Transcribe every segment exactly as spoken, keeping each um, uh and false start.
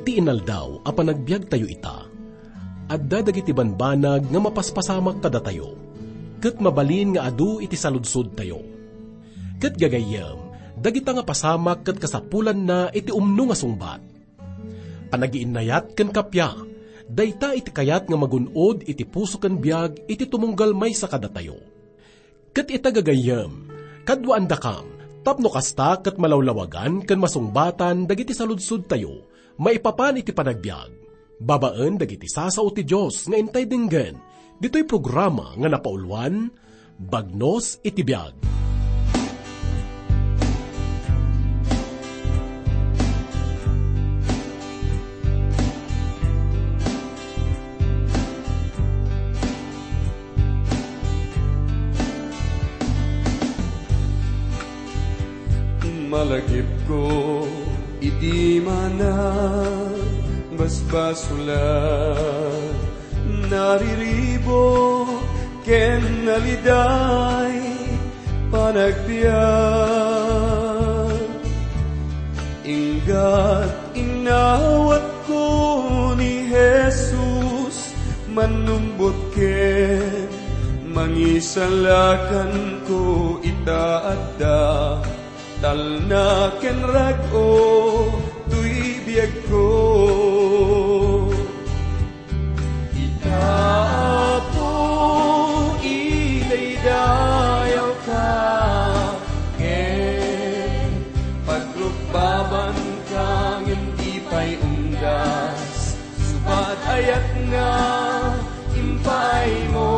Ti inaldaw a panagbiagtayo ita, adda dagiti banbanag nga mapaspasamak kadatayo, ket mabalin nga adu iti saludsodtayo. Ket gagayyem, dagita nga pasamak ket kasapulanna iti umno nga sungbat. Panagiinnayat ken kappia, dayta iti kayat nga magun-od iti puso ken biag iti tumunggal maysa kadatayo. Ket ita gagayyem, kaduaandakam, tapno kasta ket malawlawagan ken masungbatan dagiti saludsodtayo maipapan iti panagbiag, babaen dagiti sasao ti Dios nga intay denggen, ditoy programa nga napauluan, Bagnos iti Biag. Malagipko idi manang basbasulan, nariribuk ken naliday panagbiag. Inggat inawatko ni Jesus, mannumbot ken mangisalakanko ita adda talna ken rag-o toy biagko. Ita, Apo, idaydayawka, ken pagrukbabanka ngem di pay undas, subat ayat nga impaaymo.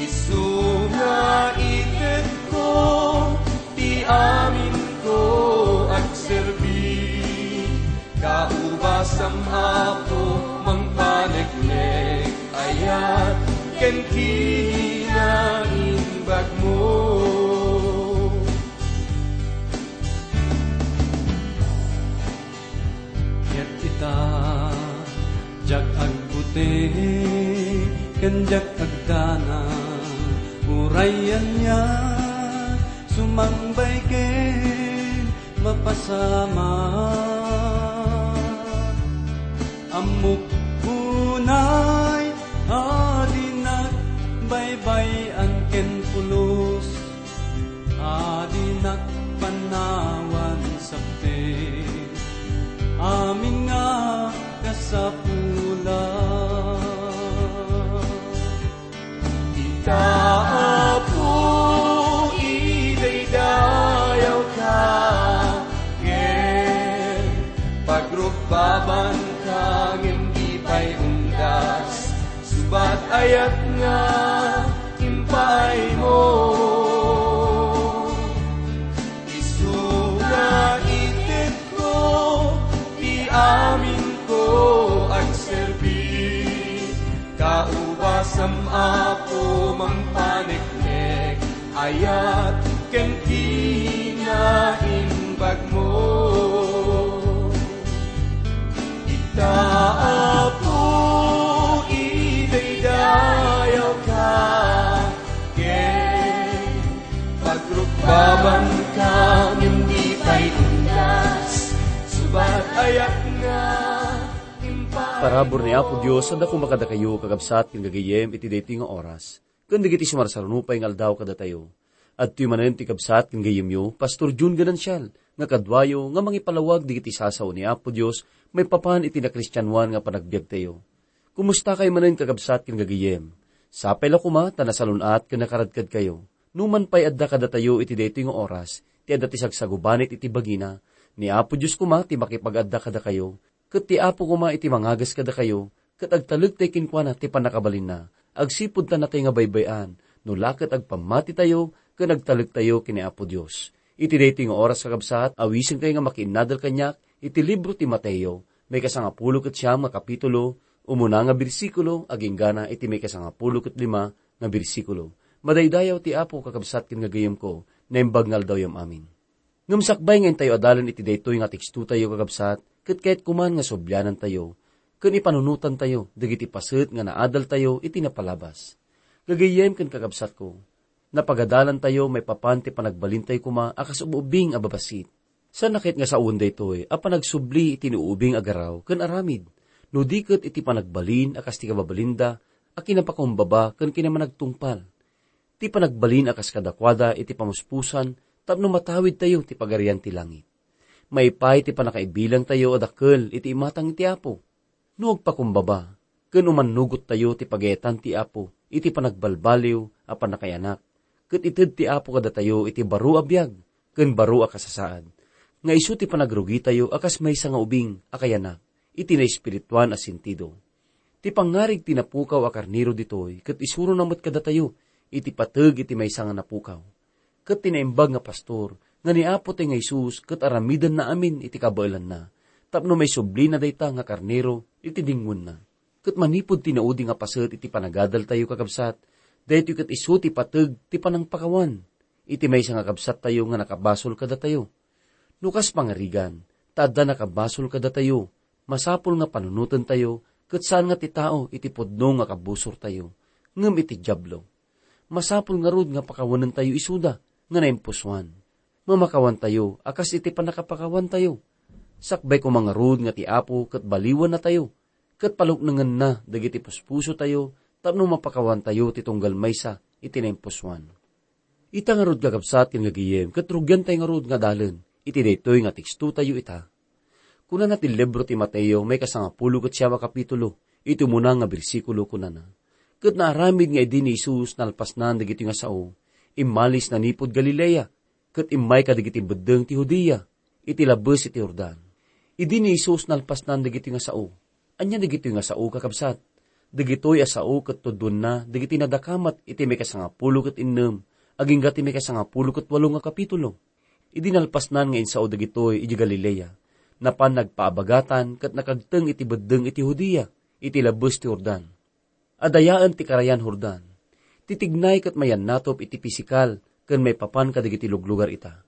Isu nga itedko ti aminko agserbi. Kaubasam, Apo, mangpaneknek, ayat ken kinaimbagmo. Ket ita, diak agbuting ken diak agdanag, uray ania, sumangbay ken mapasamak. Ammok unay a dinak baybay-an ken pulos, a dinak panawan sabte amin nga kasapulan. Ita, Apo, idaydayawka, ken pagrukbabanka ngem di pay undas, subat ayat nga impaaymo. Isu nga itedko ti aminko agserbi. Kaubasam, Apo, mangpaneknek, ayat ken kinaimbagmo. Ita, Apo, idaydayawka, ken pagrukbabanka ngem di pay undas, subat ayat nga impaaymo. Parabur ni Apo Dios a daku kadakayo, kakabsat ken gagayyem, iti daytoy nga oras, ken dagiti sumarsaruno pay nga aldaw kadatayo. Adtoy manen ti kabsat ken gayyemyo, Pastor Jun Ganancial, nga kaduayo nga mangipalawag dagiti sasao ni Apo Dios maipapan iti nakristianoan nga panagbiagtayo. Kumustakayo manen, kakabsat ken gagayyem? Sapay la koma ta nasalun-at ken nakaradkadkayo. Numan pay adda kadatayo iti daytoy nga oras ti adda ti sagsagubanit iti bagina, ni Apo Dios koma ti makipag-adda kadakayo, ket ti Apo koma iti mangagas kadakayo, ket agtalektayo kenkuana ti pannakabalinna, agsipud ta natay nga baybay-an, no la ket agpammatitayo ken agtalektayo ken ni Apo Dios. Iti daytoy nga oras, kakabsat, awisenkayo nga makiinnadal kaniak iti libro ti Mateo, maikasangapulo ket siam nga kapitulo, umuna nga bersikulo, agingga iti maikasangapulo ket lima nga bersikulo. Madaydayaw ti Apo, kakabsat ken gagayyemko, naimbag nga aldawyam amin. Ngem sakbay nga intayo adalen iti daytoy nga tekstotayo, kakabsat, ket kayatko man nga sublianantayo ken ipanunotantayo dagiti paset nga naadaltayo iti napalabas. Gagayyem ken kakabsatko, napagadalantayo maipapan ti panagbalintayo koma a kas ub-ubbing a babassit. Saan ket nga sawen daytoy a panagsubli iti naubing a garaw ken aramid, no di ket iti panagbalin a kas ti kababalinda a kinapakumbaba ken kinamanagtungpal. Ti panagbalin a kas kadakuada iti pamuspusan tapno matawidtayo ti Pagarian ti Langit. Maipay ti pannakaibilangtayo a dakkel iti imatang ti Apo. No agpakumbaba, ken umannugottayo ti pagayatan ti Apo iti panagbalbaliw a pannakaiyanak, ket ited ti Apo kadatayo iti baro a biag ken baro a kasasaad, nga isu ti panagrugitayo a kas maysa nga ubing a kayanak iti naespirituan a sentido. Ti pangngarig ti napukaw a karnero ditoy ket isurona met kadatayo iti pateg iti maysa nga napukaw. Ket ti naimbag nga pastor nga ni Apo tayo nga Jesus ket aramidenna amin iti kabaelanna, tapno maisublina dayta nga karnero iti dingonna. Ket manipud ti naudi nga paset iti panagadaltayo, kakabsat, daytoy ket isu ti pateg ti panangpakawan iti maysa nga kabsattayo nga nakabasol kadatayo. No kas pangarigan, ta adda nakabasol kadatayo, masapul nga panunotentayo ket saan nga ti tao iti pudno nga kabusortayo, ngem iti Diablo. Masapul ngarud nga pakawanentayo isuda nga naimpusoan. Mamakawantayo a kas iti pannakapakawantayo. Sakbay koma ngarud nga ti Apo ket baliwannatayo, ket paluknengenna dagiti puspusotayo tapno mapakawantayo ti tunggal maysa iti naimpusoan. Ita ngarud, kakabsat ken gagayem, ket rugiantayo ngarud nga adalen iti daytoy nga tekstotayo ita. Kunana ti libro ti Mateo, maikasangapulo ket siam a kapitulo, iti umuna nga bersikulo, kunana, "Ket naaramid nga idi ni Jesus nalpasnan dagitoy nga sao, immalis nanipud Galilea, ket immay kadagiti beddeng ti Judea, iti labes iti Jordan." Idi ni Jesus nalpasnan dagitoy nga sao, ania dagitoy nga sao, kakabsat? Dagitoy a sao ket tudonna dagiti nadakamat iti maikasangapulo ket innem agingga ti maikasangapulo ket walo nga kapitulo. Idi nalpasnan nga insao dagitoy idiay Galilea, napan nagpaabagatan ket nakagteng iti beddeng iti Judea, iti labes ti Jordan. Adayaen ti karayan Jordan. Ti tignay ket mayannatop iti pisikal ken maipapan kadagiti luglugar ita.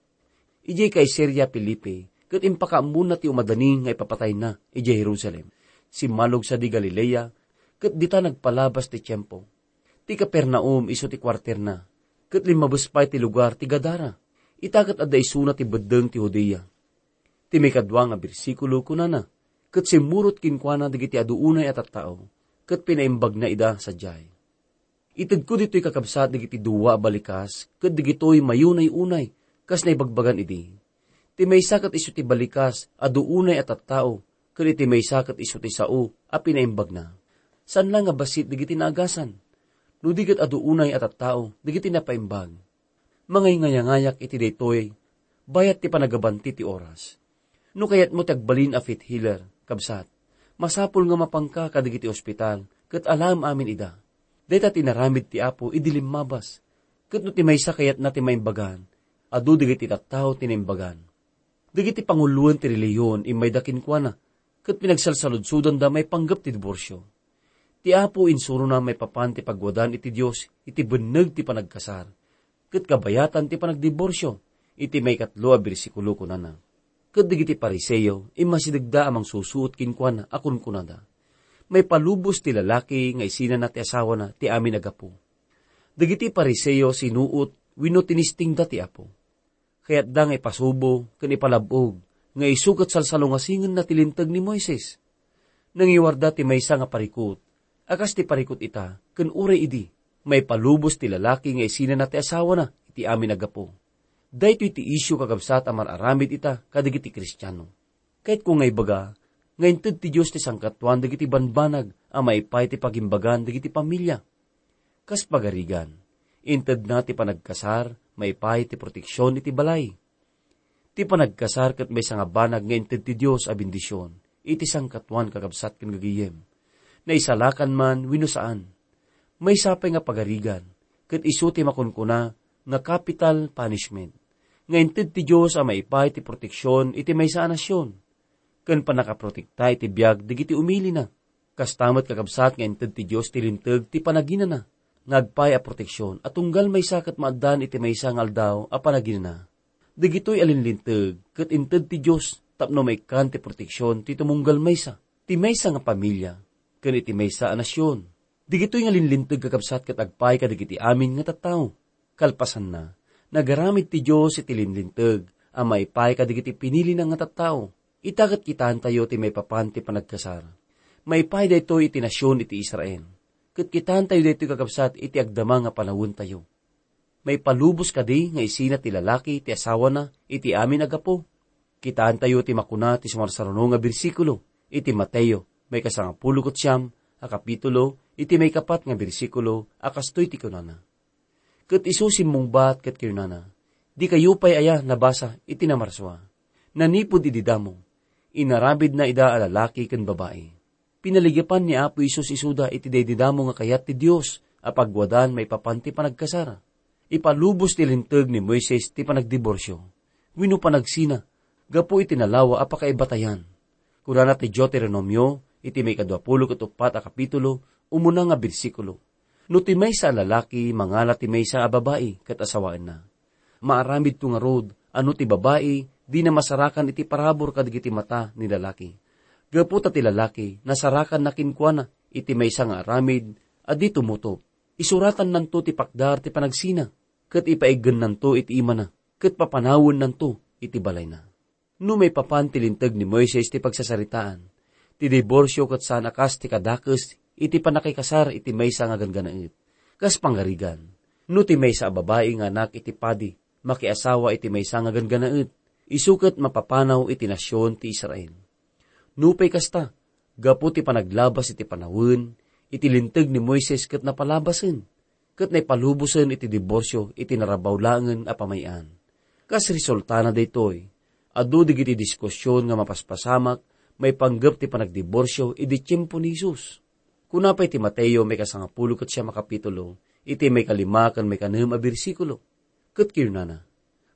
Idiay Caesarea Filipi, ket impakaammona ti umadani nga ipapatayna idiay Jerusalem. Simmalog sadi Galilea, ket dita nagpalabas ti tiempo. Ti Capernaum isu ti kuarterna, ket limmabes pay ti lugar ti Gadara. Ita ket adda isuna ti beddeng ti Judea. Ti maikadua nga bersikulo kunana, "Ket simmurot kenkuana dagiti adu unay a tattao, ket pinaimbagna ida sadiay." Itedko ditoy, kakabsat, dagiti dua a balikas ket dagitoy mayunay-unay, kas naibagbagan idi. Ti maysa ket isu ti balikas a duunay a tattao, ket iti maysa ket isu ti sao a pinaimbagna. Saan la nga bassit dagiti naagasan. No di ket adu unay a tattao dagiti napaimbag. Mangayngayangayak iti daytoy, bayat ti panagabanti ti oras. No kayatmo ti agbalin a faith healer, kabsat, masapul nga mapanka kadagiti ospital ket alaem amin ida. Dayta ti inaramid ti Apo idi limmabas. Ket no ti maysa kayatna ti maimbagan, adu dagiti tattao ti naimbagan. Dagiti panguloen ti relihiyon immayda kenkuana, ket pinagsalsaludsodanda maipanggep ti diborsio. Ti Apo insurona maipapan ti pagwadan iti Dios iti benneg ti panagkasar, ket kabayatan ti panagdiborsio. Iti maikatlo a bersikulo kunana, "Ket dagiti Fariseo immasidegda a mangsusuot kenkuana a kunkunada, 'Maipalubos ti lalaki nga isinana ti asawana ti amin a gapu.'" Dagiti Fariseo sinuot wenno tinistingda ti Apo. Kayatda nga ipasubo ken ipalab-og nga isu ket salsalungasingenna ti Linteg ni Moises. Nangiwarda ti maysa nga parikut a kas ti parikut ita ken uray idi, "Maipalubos ti lalaki nga isinana ti asawana iti amin a gapu." Daytoy ti isyu, kakabsat, a mar-aramid ita kadagiti Kristiano. Kayatko nga ibaga nga inted ti Dios ti sangkatuan dagiti banbanag a maipay ti pagimbagan dagiti pamilia. Kas pagarigan, intedna ti panagkasar maipay ti proteksion iti balay. Ti panagkasar ket maysa nga banag nga inted ti Dios a bendision iti sangkatuan, kakabsat ken gagayem. Naisalakan man wenno saan, maysa pay nga pagarigan ket isu ti makunkuna nga capital punishment, nga inted ti Dios a maipay ti proteksion iti maysa a nasion, ken pannakaprotekta iti biag dagiti umilina. Kasta met, kakabsat, nga inted ti Dios ti Linteg ti panaginana nga agpay a proteksion a tunggal maysa ket maaddaan iti maysa nga aldaw a panaginana. Dagitoy a linlinteg ket inted ti Dios tapno maikkan ti proteksion ti tumunggal maysa, ti maysa nga pamilia, ken iti maysa a nasion. Dagitoy nga linlinteg, kakabsat, ket agpay kadagiti amin nga tattao. Kalpasanna, nagaramid ti Dios iti linlinteg a maipaay kadagiti pinilina nga tattao. Ita ket kitaentayo ti maipapan ti panagkasar. Maipaay daytoy iti nasion iti Israel. Ket kitaentayo daytoy, kakabsat, iti agdama nga panawentayo. Maipalubos kadi nga isina ti lalaki ti asawana iti amin a gapu? Kitaentayo ti makuna ti sumarsaruno nga bersikulo iti Mateo, maikasangapulo ket siam a kapitulo, iti maikapat nga bersikulo a kastoy ti kunana, "Ket isu simmungbat ket kinunana, 'Dikayo pay aya nabasa iti namarsua? Nanipud idi damo, inaramidna ida a lalaki ken babai.'" Pinaligepan ni Apo Jesus isuda iti daydi damo nga kayat ti Dios a pagwadan maipapan ti panagkasar. Ipalubos ti Linteg ni Moises ti panagdiborsio wenno panagsina gapu iti nalawa a pakaibatayan. Kunana ti Deuteronomio iti maikadua pulo ket uppat a kapitulo, umuna nga bersikulo, "No ti maysa a lalaki mangala ti maysa a babai ket asawaenna, maaramidto ngarud a no ti babai dina masarakan iti parabur kadagiti mata ni lalaki, gapu ta ti lalaki nasarakanna kenkuana iti maysa nga aramid a di tumutop, isuratannanto ti pakdar ti panagsina, ket ipaiggennanto iti imana, ket papanawennanto iti balayna." No maipapan ti Linteg ni Moises ti pagsasaritaan, ti diborsio ket saan a kas ti kadakes iti pannakikasar iti maysa nga ganggannaet. Kas pangarigan, no ti maysa a babai nga anak iti padi makiasawa iti maysa nga ganggannaet, isu ket mapapanaw iti nasion ti Israel. Nupay kasta, gapu ti panaglabas iti panawen, iti Linteg ni Moises ket napalabasen, ket naipalubosen iti diborsio iti narabaw laengen a pamay-an. Kas resultana daytoy, adu dagiti diskusion nga mapaspasamak maipanggep ti panagdiborsio idi tiempo ni Jesus. Kuna pay ti Mateo maikasangapulo ket siam a kapitulo, iti maikalima ken maikanem a bersikulo, ket kinunana,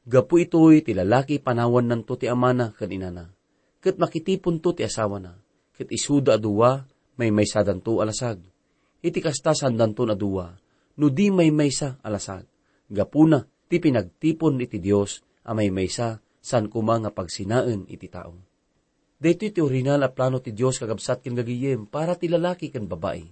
"Gapu itoy ti lalaki panawannanto ti amana ken inana, ket makitiponto ti asawana, ket isuda a dua maymaysadanto a lasag. Iti kasta, saandanton a dua no di maymaysa a lasag. Gapuna ti pinagtipon iti Dios a maymaysa, saan koma nga pagsinaen iti tao." Daytoy ti orihinal a plano ti Dios, kakabsat ken gagayem, para ti lalaki ken babai.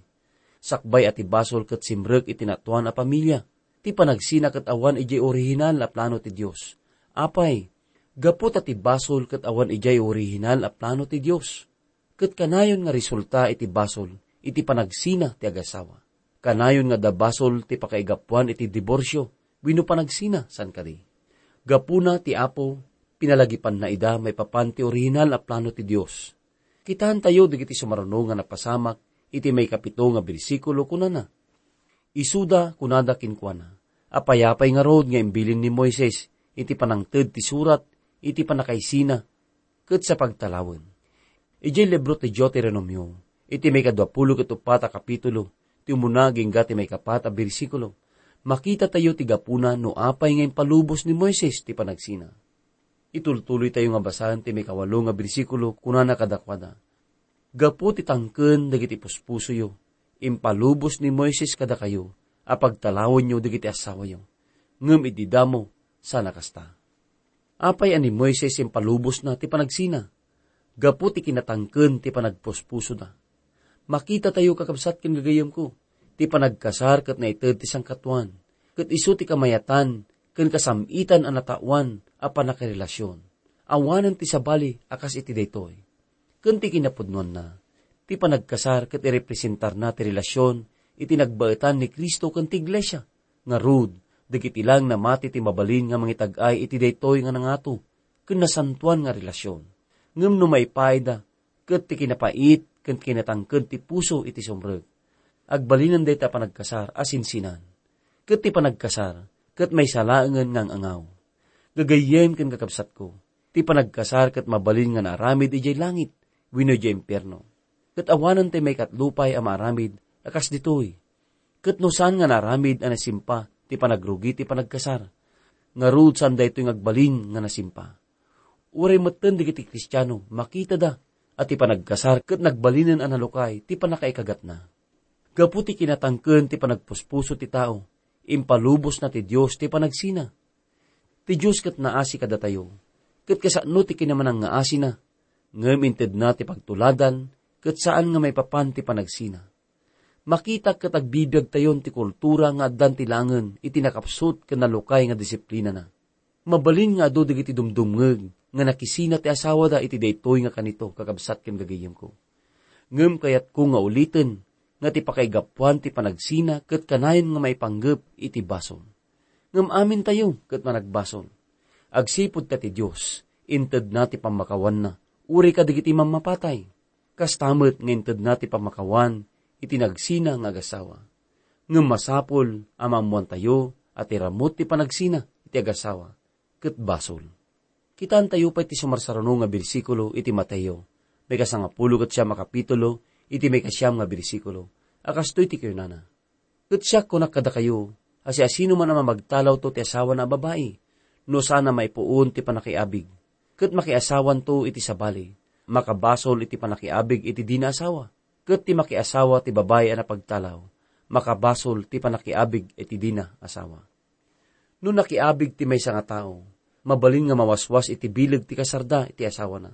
Sakbay a ti basol ket simrek iti natuan a pamilia, ti panagsina ket awan idiay orihinal a plano ti Dios. Apay, gapu ta ti basol ket awan idiay orihinal a plano ti Dios, ket kanayon nga resulta iti basol iti panagsina ti agasawa. Kanayon nga adda basol ti pakaigapuan iti diborsio wenno panagsina, saan kadi? Gapuna ti Apo, pinalagipanna ida maipapan ti orihinal a plano ti Dios. Kitaentayo dagiti sumaruno nga napasamak iti maikapito nga bersikulo, kunana, "Isuda, kunada kenkuana, 'Apay-apay ngarud nga imbilin ni Moises iti panangted ti surat iti pannakaisina ket sa pagtalawen?'" Idiay libro ti Deuteronomio, iti maikadua pulo ket uppat a kapitulo, ti umuna agingga ti maikapat a bersikulo, makitatayo ti gapuna no apay nga impalubos ni Moises ti panagsina. Itultuloytayo nga basaen ti maikawalo nga bersikulo, kunana kadakuada, "Gapu ti tangken dagiti puspusoyo, impalubos ni Moises kadakayo a pagtalawenyo dagiti asawayo, ngem idi damo, saan a kasta." Apay a ni Moises impalubosna ti panagsina? Gapu ti kinatangken ti panagpuspusoda. Makitatayo, kakabsat ken gagayemko, ti panagkasar ket naited ti sangkatuan, ket isu ti kamayatan ken kasam-itan a nataoan a pannakirelasion. Awanen ti sabali a kas iti daytoy. Ken ti kinapudnoanna, ti panagkasar ket irepresentarna ti relasion iti nagbaetan ni Cristo ken ti iglesia. Ngarud, dagiti lang namati ti mabalin nga mangitag-ay iti daytoy nga nangato ken nasantoan nga relasion. Ngem no maipaayda, ket ti kinapait ken kinatangken ti puso iti sumrek, agbalinen dayta a panagkasar a sinsinan. Ket ti panagkasar ket maysa laengen nga ang-angaw. Gagayyem ken kakabsatko, ti panagkasar ket mabalin nga naaramid idiay langit wenno idiay impierno. Ket awanen ti maikatlo pay a maaramid a kas ditoy. Ket no saan nga naaramid a nasimpa ti panagrugi ti panagkasar, ngarud saan daytoy nga agbalin nga nasimpa. Uray metten dagiti Kristiano, makitada a ti panagkasar ket nagbalinen a nalukay ti pannakaikagatna. Gapu ti kinatangken ti panagpuspuso ti tao, impalubosna ti Dios ti panagsina. Ti Dios ket naasi kadatayo, ket kasano ti kinamanangngaasina, ngem intedna ti pagtuladan ket saan nga maipapan ti panagsina. Makita ket agbibiagtayon ti kultura nga addan ti langen iti nakapsut ken nalukay nga disiplinana. Mabalin nga adu dagiti dumdumngeg nga nakisina ti asawada iti daytoy nga kanito, kakabsat ken gagayyemko. Ngem kayatko nga uliten nga ti pakaigapuan ti panagsina ket kanayon nga maipanggep iti basol. Ngem amintayo ket managbasol. Agsipud ta ti Dios, intedna ti pammakawanna, uray kadagiti mammapatay. Kasta met nga intedna ti pammakawan iti nagsina nga agasawa. Ngem masapul a maammoantayo a ti ramut ti panagsina iti agasawa ket basol. Kitaentayo pay ti sumarsaruno nga bersikulo iti Mateo, maikasangapulo ket siam a kapitulo, iti maikasiam nga bersikulo, a kastoy ti kinunana, "Ket siak, kunak kadakayo, a siasinoman a mamagtalawto ti asawana a babai, no saan a maipuon ti panakiabig, ket makiasawanto iti sabali, makabasol iti panakiabig iti dina asawa, ket ti makiasawa ti babai a napagtalaw, makabasol ti panakiabig iti dina asawa." No nakiabig ti maysa nga tao, mabalin nga mawaswas iti bileg ti kasarda iti asawana.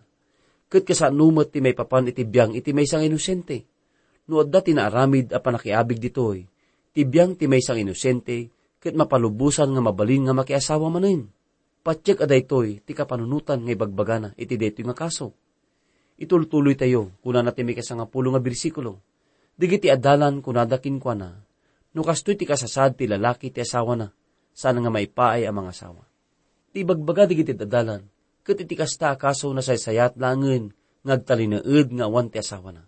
Ket kasano met ti maipapan iti biang iti maysa nga inosente? No adda ti naaramid a panakiabig ditoy, ti biang ti maysa nga inosente ket mapalubosan nga mabalin nga makiasawa manen. Patiek a daytoy ti kapanunotan nga ibagbagana iti daytoy nga kaso. Itultuloytayo, kunana ti maikasangapulo nga bersikulo, "Dagiti adalan kunada kenkuana, 'No kastoy ti kasasaad ti lalaki ti asawana, saan nga maipaay a mangasawa.'" Ti ibagbaga dagiti adalan, ket iti kasta a kaso, nasaysayat laengen nga agtalinaed nga awan ti asawana.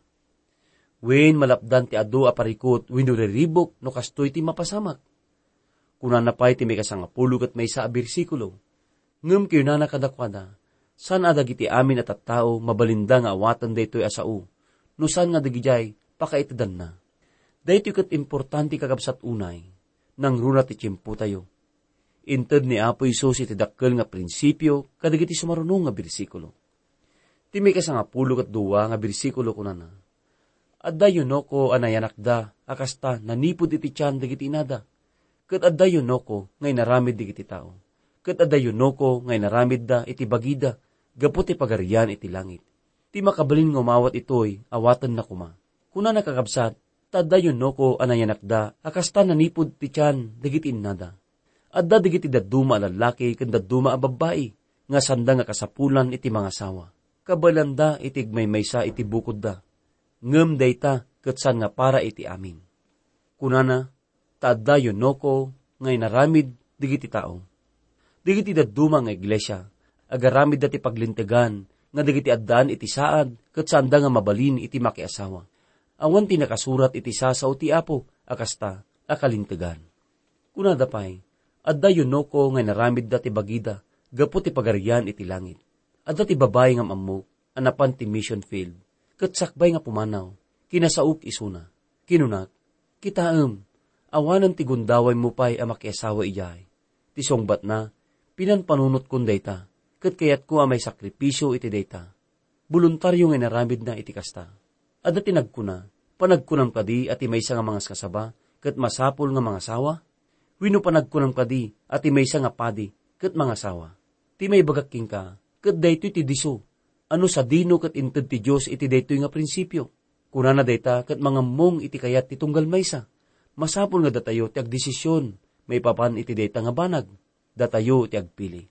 Wen, malapdan ti adu a parikut wenno riribuk no kastoy ti mapasamak. Kunana pay ti maikasangapulo ket maysa a bersikulo, "Ngem kinunana kadakuada, saan a dagiti amin a tattao mabalinda nga awaten daytoy a sao, no saan nga dagidiay pakaitedanna." Daytoy ket importante, kakabsat, unay, nangruna ti tiempotayo. Inted ni Apo Jesus iti dakkel nga prinsipio kadagiti sumaruno nga bersikulo. Ti maikasangapulo ket dua nga bersikulo kunana, "Adda yunoko a nayanakda a kasta nanipud iti tian dagiti inada, ket adda yunoko nga inaramid dagiti tao, ket adda yunoko nga inaramidda iti bagida gapu ti Pagarian iti langit. Ti makabalin nga umawat itoy, awatenna koma." Kunana, kakabsat, ta adda yunoko a nayanakda a kasta nanipud ti tian dagiti innada. Adda dagiti dadduma a lallaki ken dadduma a babbai nga sanda nga kasapulan iti mangasawa. Kabaelanda iti agmaymaysa iti bukodda. Ngem dayta ket saan nga para iti amin. Kunana, ta adda yunoko nga inaramid dagiti tao. Dagiti dadduma nga iglesia, agaramidda ti paglintegan nga dagiti addaan iti saad ket saanda nga mabalin iti makiasawa. Awan ti nakasurat iti sasao ti Apo a kasta a kalintegan. Kunada pay, adda yunoko nga inaramidda ti bagida gapu ti Pagarian iti langit. Adda ti babai nga am-ammok a napan ti mission field, ket sakbay nga pumanaw, kinasaok isuna. Kinunak, "Kitaem, awanen ti gundawaymo pay a makiasawa idiay. Ti sungbatna, pinanpanunotkon dayta, ket kayatko a maisakripisio iti dayta." Boluntario nga inaramidna iti kasta. Adda ti nagkuna, "Panagkunam kadi a ti maysa nga mangaskasaba ket masapul nga mangasawa? Wenno panagkunam kadi a ti maysa nga padi ket mangasawa?" Ti maibagak kenka, ket daytoy ti disso, a no sadino ket inted ti Dios iti daytoy nga prinsipio. Kunana dayta ket mangammong iti kayat ti tunggal maysa. Masapul nga datayo ti agdesision maipapan iti dayta nga banag. Datayo ti agpili.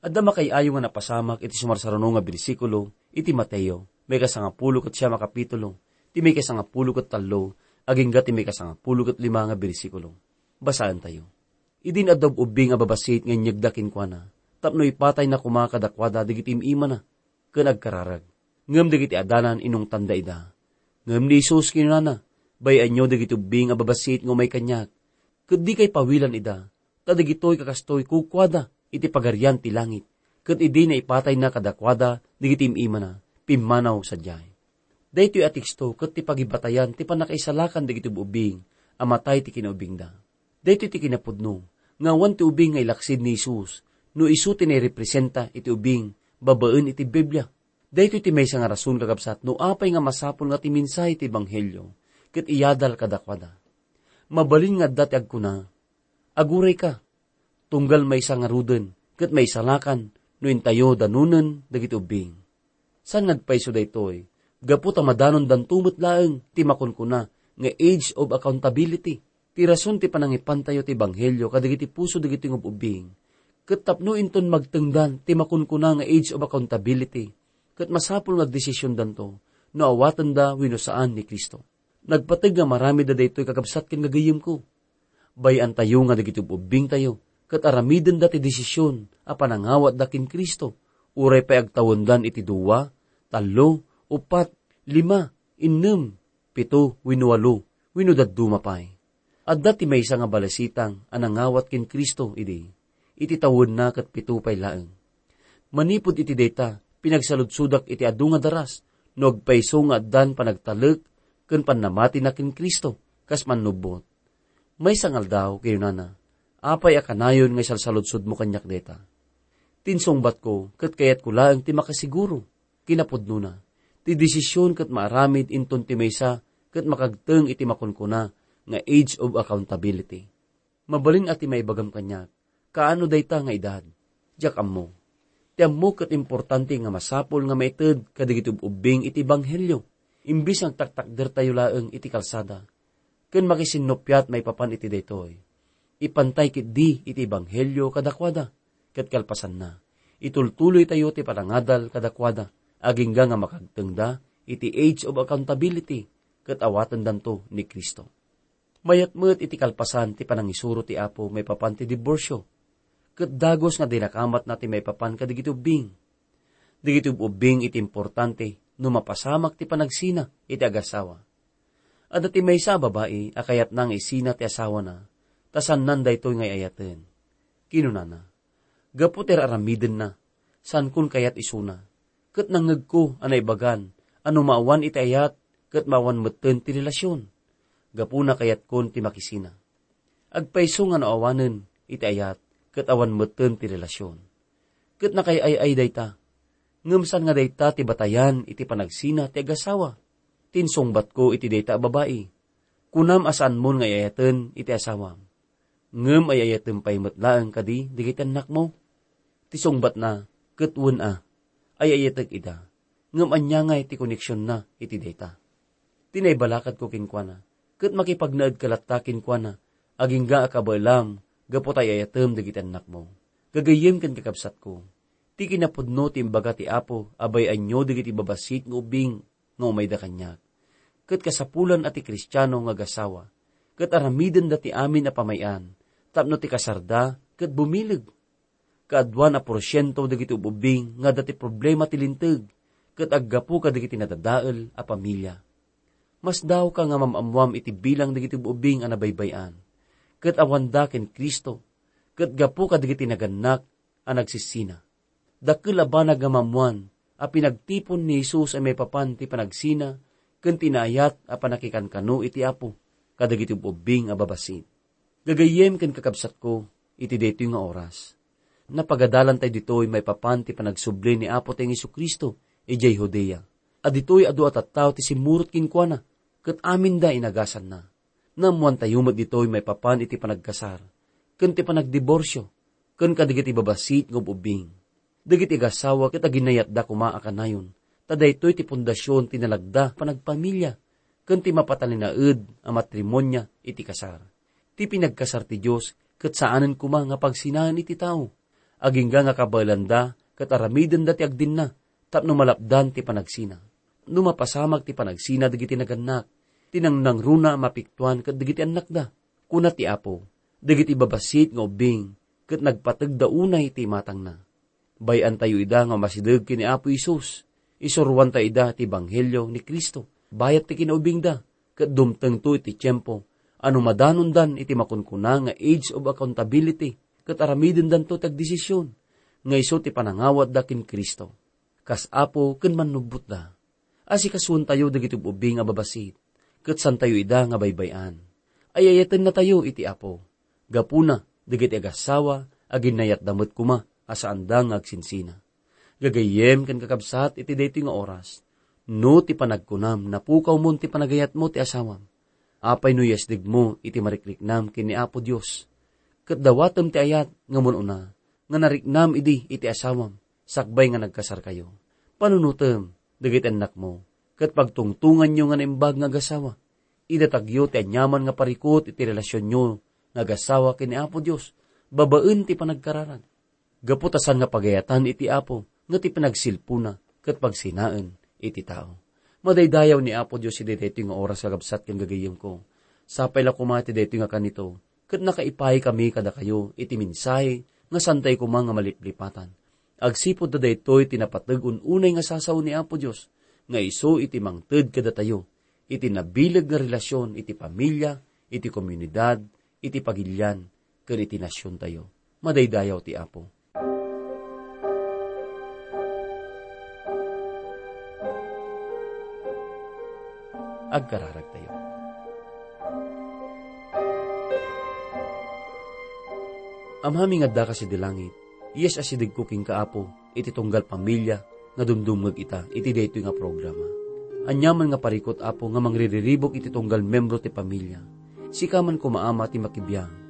Adda makaay-ayo nga napasamak iti sumarsaruno nga bersikulo iti Mateo, maikasangapulo ket siam a kapitulo, ti maikasangapulo ket tallo, agingga ti maikasangapulo ket lima nga bersikulo. Basaentayo. Idin adda ub-ubbing a babassit nga inyegda kenkuana, tapno ipatayna koma kadakuada dagiti im-imana ken agkararag. Ngem dagiti adalan inungtanda ida. Ngem ni Jesus kinunana, "Bay-anyo dagiti ubbing a babassit nga umay kaniak, ket dikay pawilan ida, ta dagitoy kakastoy kukuada iti Pagarian ti langit, ket idi naipatayna kadakuada dagiti im-imana, pimmanaw sadiay." Daytoy a teksto ket ti pagibatayan ti pannakaisalakan dagiti ub-ubbing a matay ti kinaubbingda. Daytoy ti kinapudno nga awan ti ubing nga ilaksid ni Jesus no isu ti nairepresenta iti ubing babaen iti Biblia. Daytoy ti maysa nga rason, kakabsat, no apay nga masapul nga ti mensahe ti ebanghelio ket iyadal kadakuada. Mabalin nga adda ti agkuna, "Agurayka, tunggal maysa ngaruden ket maisalakan no intayo danonen dagiti ubbing." Saan nga agpayso daytoy, gapu ta madanondanto met laeng ti makunkuna nga age of accountability. Ti rason ti panangipantayo ti ebanghelio kadagiti puso dagiti ub-ubbing, Ket tapno inton magtengdan ti makunkuna nga age of accountability, ket masapul nga agdesisiondanto no awatenda wenno saan ni Cristo. Nagpateg nga maramidda daytoy, kakabsat ken gagayyemko. Bay-antayo nga dagiti ub-ubbingtayo ket aramidenda ti desision a panangawatda ken Cristo, uray pay agtawendan iti dua, tallo, uppat, lima, innem, pito, wenno walo, wenno dadduma pay. Adda ti maysa nga balesitang a nangawat ken Cristo idi, iti tawenna ket pito pay laeng. Manipud iti dayta, pinagsaludsodak iti adu nga daras no agpayso nga addan panagtalek ken pannamatina ken Cristo kas mannubbot. Maysa nga aldaw, kinunana, "Apay a kanayon nga isalsaludsodmo kaniak dayta?" Tinsungbatko ket kayatko laeng ti makasiguro. Kinapudnona, ti desision ket maaramid inton ti maysa ket makagteng iti makunkuna nga age of accountability. Mabalin a ti maibagam kaniak, kaano dayta nga edad? Diak ammo. Ti ammo ket importante nga masapul nga maited kadagiti ub-ubbing iti ebanghelio, imbes nga agtaktakdertayo laeng iti kalsada. Ken makisinnuppiat maipapan iti daytoy. Ipantay ketdi iti ebanghelio kadakuada, ket kalpasanna, itultuloytayo ti panangadal kadakuada, agingga nga makagtengda iti age of accountability, ket awatendanto ni Cristo. Mayat met iti kalpasan ti panangisuro ti Apo maipapan ti diborsio, ket dagus nga dinakamatna ti maipapan kadagiti ubbing. Dagiti ub-ubbing iti importante no mapasamak ti panagsina iti agasawa. Adda ti maysa a babai a kayatna nga isina ti asawana, ta saannan daytoy nga ay-ayaten. Kinunana, "Gapu ti ar-aramidenna, saankon kayat isuna, ket nangngegko a naibagan a no maawan iti ayat ket maawan metten ti relasion. Gapuna kayatkon ti makisina." Agpayso nga no awanen iti ayat ket awan metten ti relasion. Ket nakaay-ay dayta. Ngem saan nga dayta ti batayan iti panagsina ti agasawa. Tinsungbatko iti dayta a babai, "Kunam a saanmon nga ay-ayaten iti asawam. Ngem ay-ayatem pay met laeng kadi dagiti annakmo?" Ti sungbatna, ket wen a, ay-ayatek ida. Ngem ania ngay ti koneksionna iti dayta? Ti naibalakadko kenkuana, ket makipagnaedka latta kenkuana, agingga a kabaelam gapu ta ay-ayatem dagiti annakmo. Gagayyem ken kakabsatko, ti kinapudno ti imbaga ti Apo a bay-anyo dagiti babassit nga ubbing nga umayda kaniak. Ket kasapulan a ti Kristiano nga agasawa, ket aramidenda ti amin a pamay-an, tapno ti kasarda ket bumileg. Kaaduan a porsiento dagiti ub-ubbing nga adda ti problema ti linteg, ket aggapu kadagiti nadadael a pamilya. Masdaawka nga mam-ammoam iti bilang dagiti ub-ubbing a nabaybay-an, ket awanda ken Cristo, ket gapu kadagiti nagannak a nagsisina. Dakkel a banag nga mammoan a pinagtipon ni Jesus a maipapan ti panagsina ken ti naayat a pannakikankano iti Apo kadagiti ub-ubbing a babassit. Gagayyem ken kakabsatko, iti daytoy nga oras, napagadalantay ditoy maipapan ti panagsubli ni Apotayo Jesu-Cristo idiay Judea, a ditoy adu a tattao ti simmurot kenkuana, ket aminda inagasanna. Naammoantayo met ditoy maipapan iti panagkasar, ken ti panagdiborsio, ken kadagiti babassit nga ub-ubbing. Dagiti agasawa ket aginayatda koma a kanayon, ta daytoy ti pundasion ti nalagda panagpamilya, ken ti mapatalinaed a matrimonia iti kasar. Ti pinagkasar ti Dios ket saanen koma nga pagsinaen iti tao. Agingga nga kabaelanda ket aramidenda ti agdinna tapno malapdan ti panagsina. No mapasamak ti panagsina dagiti nagannak, ti nangnangruna a mapiktuan ket dagiti annakda. Kuna ti Apo, dagiti babassit nga ubbing ket nagpategda unay iti imatangna. Bay-antayo ida nga umasideg ken ni Apo Jesus. Isuroanta ida ti ebanghelio ni Cristo bayat ti kinaubingda, ket dumtengto iti tiempo a no madanondan iti makunkuna nga age of accountability, ket aramidendanto ti agdesision nga isu ti panangawatda ken Cristo kas Apo ken Mannubbotda. Asikasuentayo dagiti ub-ubbing a babassit, ket santayo ida nga baybay-an. Ay-ayatennatayo iti Apo. Gapuna, dagiti agassawa, aginnayatda met koma a saanda nga agsinsina. Gagayyem ken kakabsat iti daytoy nga oras, no ti panagkunam napukawmon ti panagayatmo ti asawam, apay no yasdegmo iti marikriknam ken ni Apo Dios? Ket dawatem ti ayat nga mun-una nga nariknam idi iti asawam sakbay nga nagkasarkayo. Panunotem dagiti annakmo, ket pagtungtonganyo nga naimbag nga agasawa. Idatagyo ti aniaman nga parikut iti relasionyo nga agasawa ken ni Apo Dios babaen ti panagkararag. Gapu ta saan nga pagayatan iti Apo nga ti panagsilpona ket pagsinaen iti tao. Madaydayaw ni Apo Dios iti daytoy nga oras, kakabsat ken gagayyemko. Sapay la koma iti daytoy nga kanito, ket nakaipay kami kadakayo iti mensahe nga saantayo koma nga maliplipatan. Agsipud ta daytoy ti napateg un unay nga sasao ni Apo Dios, nga isu iti mangted kadatayo iti nabileg nga relasyon iti pamilia, iti komunidad, iti pagilian, ken iti nasiontayo. Madaydayaw ti Apo. Agkararagtayo. Amami nga addaka sidi langit, yes, asidegko kenka, Apo, iti tunggal pamilia nga dumdumngeg ita iti daytoy nga programa. Aniaman nga parikut, Apo, nga mangririribuk iti tunggal membro ti pamilia. Sika man koma, Ama, ti makibiang.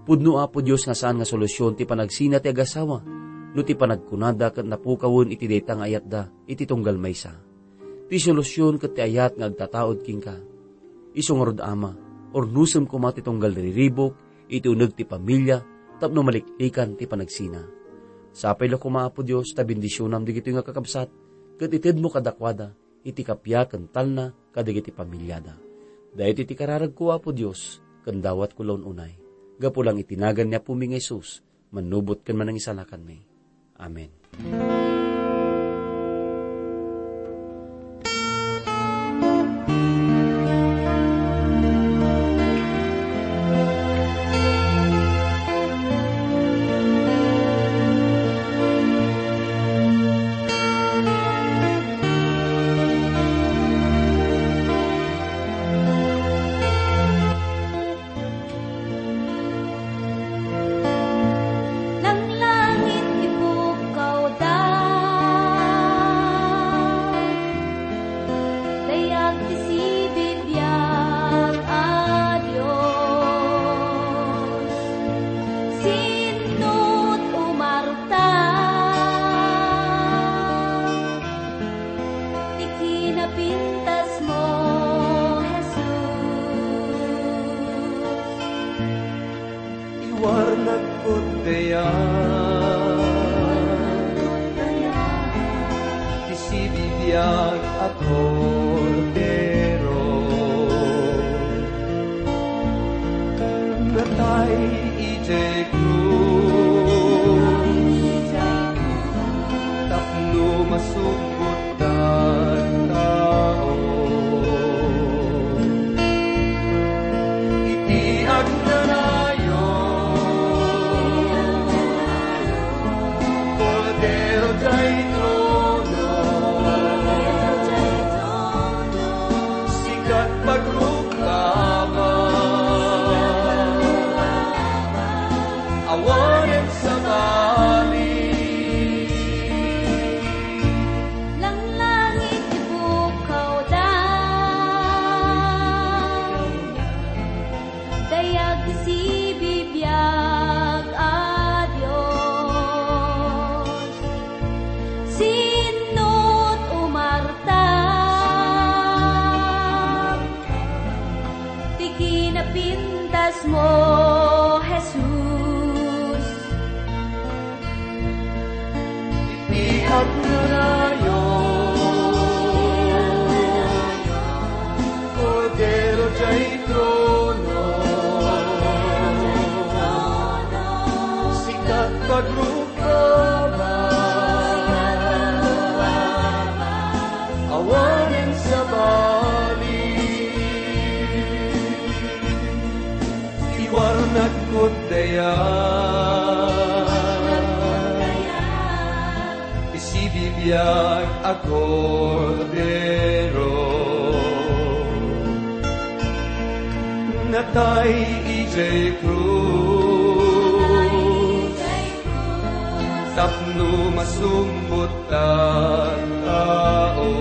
Pudno, Apo Dios, nga saan nga solusyon ti panagsina ti agasawa no ti panagkunada ket napukawen iti dayta nga ayatda iti tunggal maysa. Ti solusyon ket ti ayat nga agtataud kenka. Isu ngarud, Ama, urnosem koma ti tunggal riribuk iti uneg ti pamilia tapno maliklikan ti panagsina. Sapay la koma, Apo Dios, ta bendisionam dagitoy nga kakabsat ket itedmo kadakuada iti kappia ken talna kadagiti pamiliada. Daytoy ti kararagko, Apo Dios, ken dawatko la un-unay. Gapu lang iti nagan ni Apomi nga Jesus, mannubot ken manangisalakanmi. Amen. Langlangit ti pukkawda, dayag ti sibibiag a Dios. Sinno ti umarta ti kinapintasmo, Jesus. Iwarnagko dayag ti sibibiag a Kordero, natay idiay krus tapno masubot tattao. Iti agnanayon, Kordero diay trono, sika ti pagrukaba, awanen sabali. Langlangit ti pukkawda, dayag ti sibibiag a Dios. Sinno ti umarta ti kinapintasmo, Jesus. Iti agnanayon, Kordero diay trono, sika ti pagrukaba, awanen sabali. Iwarnagko dayag ti sibibiag a Kordero, natay idiay krus tapno masumbot tattao.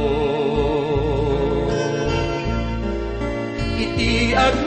Iti ag-